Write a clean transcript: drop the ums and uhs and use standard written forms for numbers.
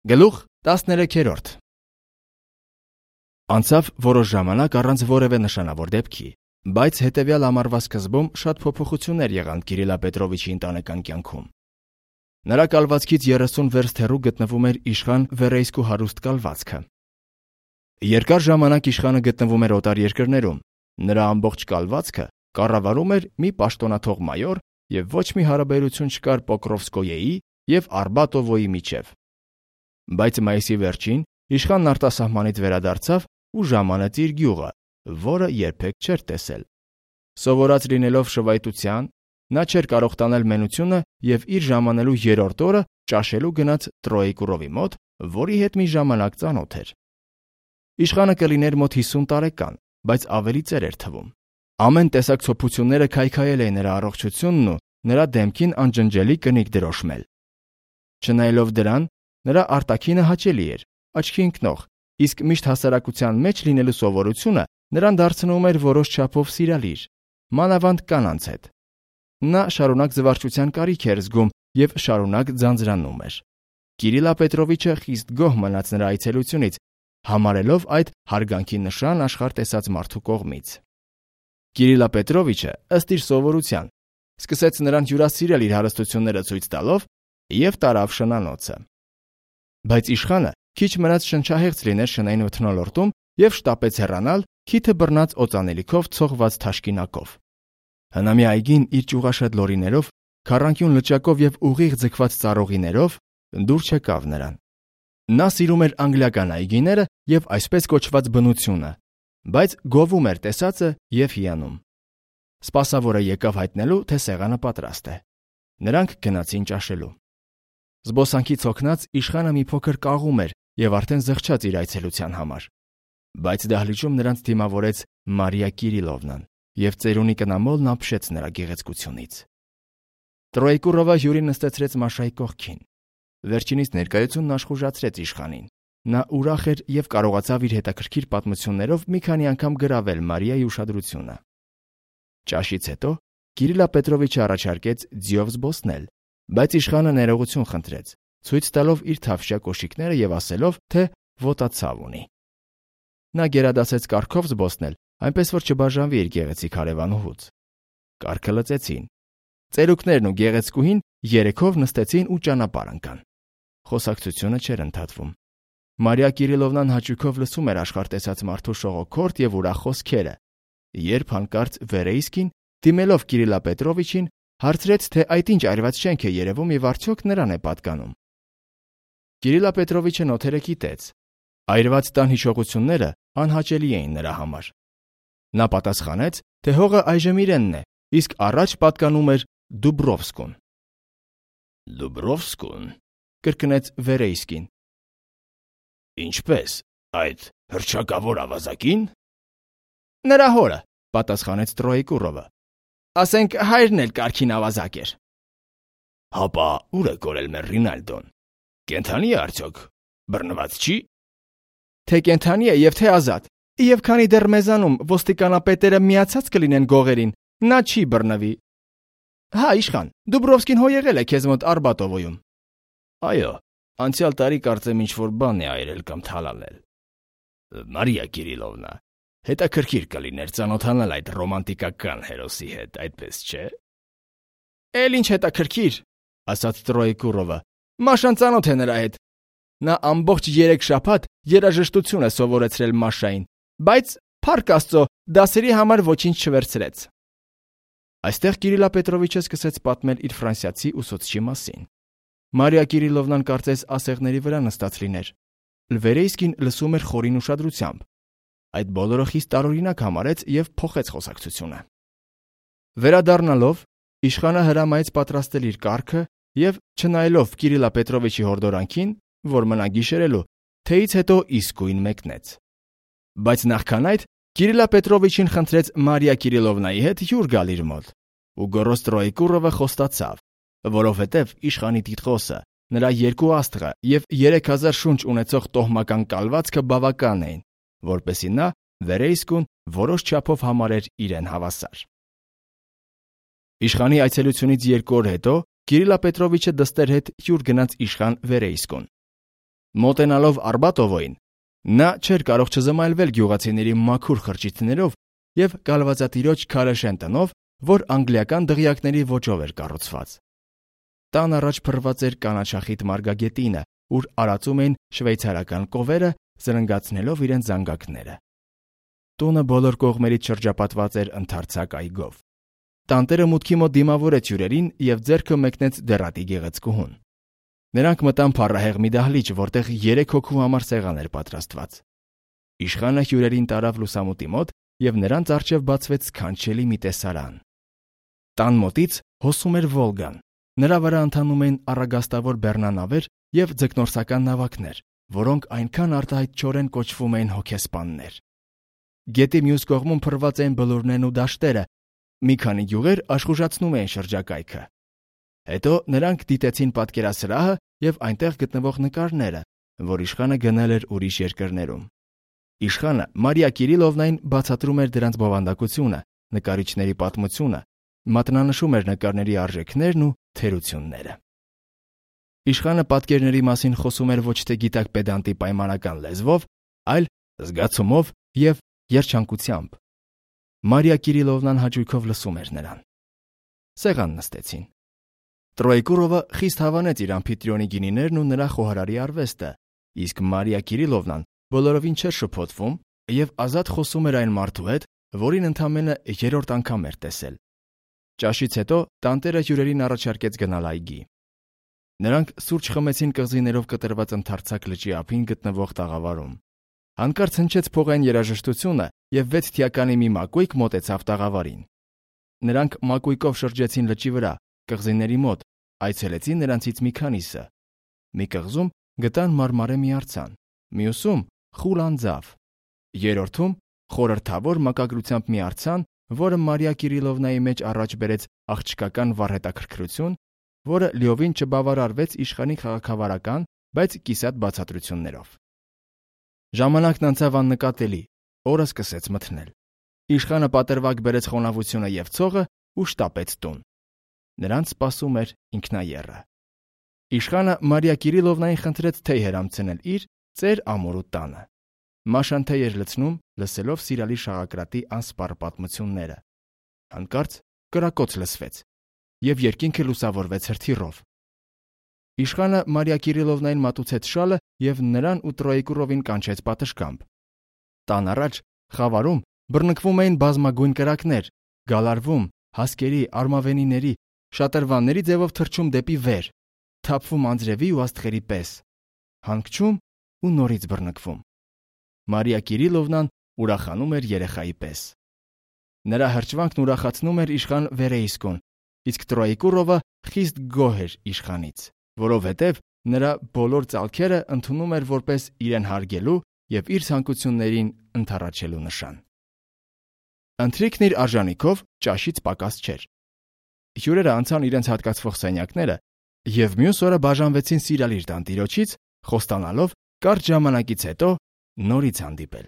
Գլուխ 13։ Անցավ որոշ ժամանակ առանց որևէ նշանավոր դեպքի, բայց հետևյալ ամառվա սկզբում շատ փոփոխություններ եղան Կիրիլա Պետրովիչի ընտանեկան կյանքում։ Նրա կալվածքից 30 վերստ հեռու գտնվում էր իշխան Վերեյսկու հարուստ կալվածքը։ Երկար ժամանակ իշխանը գտնվում էր օտար երկրներում, նրա ամբողջ կալվածքը կառավարում էր մի պաշտոնաթող մայոր եւ ոչ մի հարաբերություն չկար Պոկրովսկոյեի եւ Արբատովոյի միջև։ Բայց մայիսի վերջին իշխանն արտասահմանից վերադարձավ ու ժամանեց իր գյուղը, որը երբեք չէր տեսել։ Սովորած լինելով շվայտության, նա չէր կարող տանել մենությունը եւ իր ժամանելու երրորդ օրը ճաշելու գնաց Տրոեկուրովի մոտ, որի հետ մի ժամանակ ծանոթ էր։ Իշխանը կլիներ մոտ 50 տարեկան, բայց ավելի ծեր էր թվում։ Ամեն տեսակ ցոփությունները քայքայել էին նրա առողջությունն ու նրա դեմքին անջնջելի կնիկ դրոշմել։ Չնայելով դրան, նրա արտաքինը հաճելի էր, աչքի ընկնող, իսկ միշտ հասարակության մեջ լինելու սովորությունը նրան դարձնում էր որոշ չափով սիրալիր, մանավանդ կանանց հետ։ Նա շարունակ զվարճության կարիք էր զգում եւ շարունակ ձանձրանում էր։ Կիրիլա Պետրովիչը խիստ գոհ մնաց նրա այցելությունից, համարելով այդ հարգանքի նշան աշխարհ տեսած մարդու կողմից։ Կիրիլա Պետրովիչը, ըստ իր սովորության, սկսեց նրան հյուրասիրել իր հարստությունները ցույց տալով եւ տարավ շնանոցը։ Բայց իշխանը քիչ մնաց շնչահեղձ լիներ շնային մթնոլորտում եւ շտապեց հեռանալ քիթը բռնած օծանելիքով ցողված թաշկինակով։ Հնամի այգին իր ճյուղաշատ լորիներով, քառանկյուն լճակով եւ ուղիղ ձգված ծառողիներով դուր չեկավ նրան։ Նա սիրում էր անգլիական այգիները եւ այսպես կոչված բնությունը, բայց գովում էր տեսածը եւ հիանում։ Սպասավորը եկավ հայտնելու, թե սեղանը պատրաստ է։ Նրանք գնացին ճաշելու։ Զբոսանքից հոգնած իշխանը մի փոքր կաղում էր եւ արդեն զղջաց իր այցելության համար։ Բայց դահլիճում նրանց դիմավորեց Մարիա Կիրիլովնան եւ ծերունի կնամոլն ապշեց նրա գեղեցկությունից։ Տրոեկուրովը հյուրին նստեցրեց Մաշայի կողքին։ Վերջինիս ներկայությունն աշխուժացրեց իշխանին։ Նա ուրախ էր եւ կարողացավ իր հետաքրքիր պատմություններով մի քանի անգամ գրավել Մարիայի ուշադրությունը։ Ճաշից հետո Կիրիլա Պետրովիչը առաջարկեց ձիով զբոսնել, բայց իշխանը ներողություն խնդրեց, ցույց տալով իր թավշյա կոշիկները եւ ասելով, թե ոտացավ ունի։ Նա գերադասեց կառքով զբոսնել, այնպես որ չբաժանվի իր գեղեցիկ հարևանուհուց։ Կառքը լծեցին։ Ծերուկներն ու գեղեցկուհին երեքով նստեցին ու ճանապարհ ընկան։ Խոսակցությունը չէր ընդհատվում։ Մարիա Կիրիլովնան հաճույքով լսում էր աշխարհ տեսած մարդու շողոքորթ եւ ուրախ խոսքերը, երբ հանկարծ Վերեյսկին, դիմելով Կիրիլա Պետրովիչին, հարցրեց, թե այդ ինչ այրված շենք է երևում եւ արդյոք նրան է պատկանում։ Կիրիլա Պետրովիչը նոթերը գիտեց։ Այրված տան հիշողությունները անհաճելի էին նրա համար։ Նա պատասխանեց, թե հողը այժմ իրենն է, իսկ առաջ պատկանում էր Դուբրովսկուն։ Դուբրովսկուն, կրկնեց Վերեյսկին։ Ինչպես, այդ հռչակավոր ավազակին։ Նրա հորը, պատասխանեց Տրոեկուրովը։ Ասենք հայրն էլ կարքին ավազակ էր։ Հապա ուր է կորել մեր Ռինալդոն։ Կենթանի է արդյոք, բռնված չի։ Թե կենթանի է եւ թե ազատ, եւ քանի դեռ մեզանում ոստիկանապետերը միացած կլինեն գողերին, նա չի բռնվի։ Հա, իշխան, Դուբրովսկին հո եղել է քեզ մոտ Արբատովոյում։ Այո, անցյալ տարի կարծեմ ինչ-որ բան է այրել կամ թալանել։ Մարիա Կիրիլովնա, հետաքրքիր կլիներ ծանոթանալ այդ ռոմանտիկական հերոսի հետ, այդպես չէ։ Էլ ինչ հետաքրքիր, ասաց Տրոեկուրովը։ Մաշան ծանոթ է նրա հետ։ Նա ամբողջ 3 շաբաթ երաժշտություն է սովորեցրել Մաշային, բայց փառք Աստծո, դասերի համար ոչինչ չվերցրեց։ Այստեղ Կիրիլա Պետրովիչը սկսեց պատմել իր ֆրանսիացի ուսուցչի մասին։ Մարիա Կիրիլովնան կարծես ասեղների վրա նստած լիներ։ Վերեյսկին լսում էր խորին ուշադրությամբ։ Այդ բոլորը խիստ տարօրինակ համարեց եւ փոխեց խոսակցությունը։ Վերադառնալով, իշխանը հրամայեց պատրաստել իր կառքը եւ, չնայելով Կիրիլա Պետրովիչի հորդորանքին, որ մնա գիշերելու, թեից հետո իսկույն մեկնեց։ Բայց նախքան այդ Կիրիլա Պետրովիչին խնդրեց Մարիա Կիրիլովնայի հետ հյուր գալ իր մոտ, ու գոռոզ Տրոեկուրովը խոստացավ, որովհետև իշխանի տիտղոսը, նրա 2 աստղը եւ 3000 շունչ ունեցող տոհմական կալվածքը բավական էին, որպեսզի նա Վերեյսկուն որոշ չափով համարեր իրեն հավասար։ Իշխանի այցելությունից 2 օր հետո Կիրիլա Պետրովիչը դստեր հետ հյուր գնաց իշխան Վերեյսկուն։ Մոտենալով Արբատովոյին, նա չէր կարող չզմայլվել գյուղացիների մաքուր խրճիթներով եւ կալվածատիրոջ քարեշեն տնով, որ անգլիական դղյակների ոճով էր կառուցված։ Տան առաջ փռված էր կանաչախիտ մարգագետինը, ուր արածում էին շվեյցարական կովերը, զրնգացնելով իրենց զանգակները։ Տունը բոլոր կողմերից շրջապատված էր ընդարձակ այգով։ Տանտերը մուտքի մոտ դիմավորեց հյուրերին եւ ձեռքը մեկնեց դեռատի գեղեցկուհուն։ Նրանք մտան փառահեղ մի դահլիճ, որտեղ 3 հոգու համար սեղան էր պատրաստված։ Իշխանը հյուրերին տարավ լուսամուտի մոտ եւ նրանց առջև բացվեց սքանչելի մի տեսարան։ Տան մոտից հոսում էր Վոլգան։ Նրա վրա ընթանում էին առագաստավոր բեռնանավեր եւ ձկնորսական նավակներ, որոնք այնքան արտահայտչորեն կոչվում էին հոգեսպաններ։ Գետի մյուս կողմում փռված էին բլուրներն ու դաշտերը, մի քանի գյուղեր աշխուժացնում էին շրջակայքը։ Հետո նրանք դիտեցին պատկերասրահը եւ այնտեղ գտնվող նկարները, որ իշխանը գնել էր ուրիշ երկրներում։ Իշխանը Մարիա Կիրիլովնային բացատրում էր դրանց բովանդակությունը, նկարիչների պատմությունը, մատնանշում էր նկարների արժեքներն ու թերությունները։ Իշխանը պատկերների մասին խոսում էր ոչ թե գիտակ պեդանտի պայմանական լեզվով, այլ զգացումով եւ երջանկությամբ։ Մարիա Կիրիլովնան հաճույքով լսում էր նրան։ Սեղան նստեցին։ Տրոյկուրովը խիստ հավանեց իր ամֆիտրիոնի գինիներն ու նրա խոհարարի արվեստը, իսկ Մարիա Կիրիլովնան բոլորովին չէր շփոթվում եւ ազատ խոսում էր այն մարդու հետ, որին ընդամենը 3-րդ անգամ էր տեսել։ Ճաշից հետո տանտերը հյուրերին առաջարկեց գնալ այգի։ Նրանք սուրճ խմեցին կղզիներով կտրված ընդարձակ լճի ափին գտնվող տաղավարում։ Հանկարծ հնչեց փողային երաժշտությունը եւ 6 թիականի մի մակույկ մոտեցավ տաղավարին։ Նրանք մակույկով շրջեցին լճի վրա, կղզիների մոտ, այցելեցին նրանցից մի քանիսը։ Մի կղզում գտան մարմարե մի արձան, մյուսում խուլ անձավ, երրորդում խորհրդավոր մակագրությամբ մի արձան, որը Մարիա Կիրիլովնայի մեջ առաջ բերեց աղջկական վառհետաքրքրություն, որը լիովին չբավարարվեց իշխանի քաղաքավարական, բայց կիսատ բացատրություններով։ Ժամանակն անցավ աննկատելի, օրը սկսեց մթնել։ Իշխանը պատրվակ բերեց խոնավությունը եւ ցողը ու շտապեց տուն։ Նրանց սպասում էր ինքնաեռը։ Իշխանը Մարիա Կիրիլովնային խնդրեց թեյ հրամցնել իր ծեր ամորու տանը։ Մաշան թեյ էր լցնում, լսելով սիրալի շաղակրատի անսպառ պատմությունները։ Հանկարծ կրակոց լսվեց, եւ երկինքը լուսավորվեց հրթիռով։ Իշխանը Մարիա Կիրիլովնային մատուցեց շալը եւ նրան ու Տրոյկուրովին կանչեց պատշգամբ։ Տան առաջ խավարում բռնկվում էին բազմագույն կրակներ, գալարվում, հասկերի, արմավենիների, շատրվանների ձևով թռչում դեպի վեր, թափվում անձրևի ու աստղերի պես, հանգչում ու նորից բռնկվում։ Մարիա Կիրիլովնան ուրախանում էր երեխայի պես։ Նրա հրճվանքն ուրախացնում էր իշխան Վերեյսկուն, իսկ Տրոյկուրովը խիստ գոհ էր իշխանից, որովհետև նրա բոլոր ծալքերը ընդունում էր որպես իրեն հարգելու եւ իր ցանկություններին ընդառաջելու նշան։ Ընթրիքն իր արժանիքով ճաշից պակաս չէր։ Հյուրերը անցան իրենց հատկացվող սենյակները եւ մյուս օրը բաժանվեցին սիրալիր տանտիրոջից, խոստանալով կարճ ժամանակից հետո նորից հանդիպել։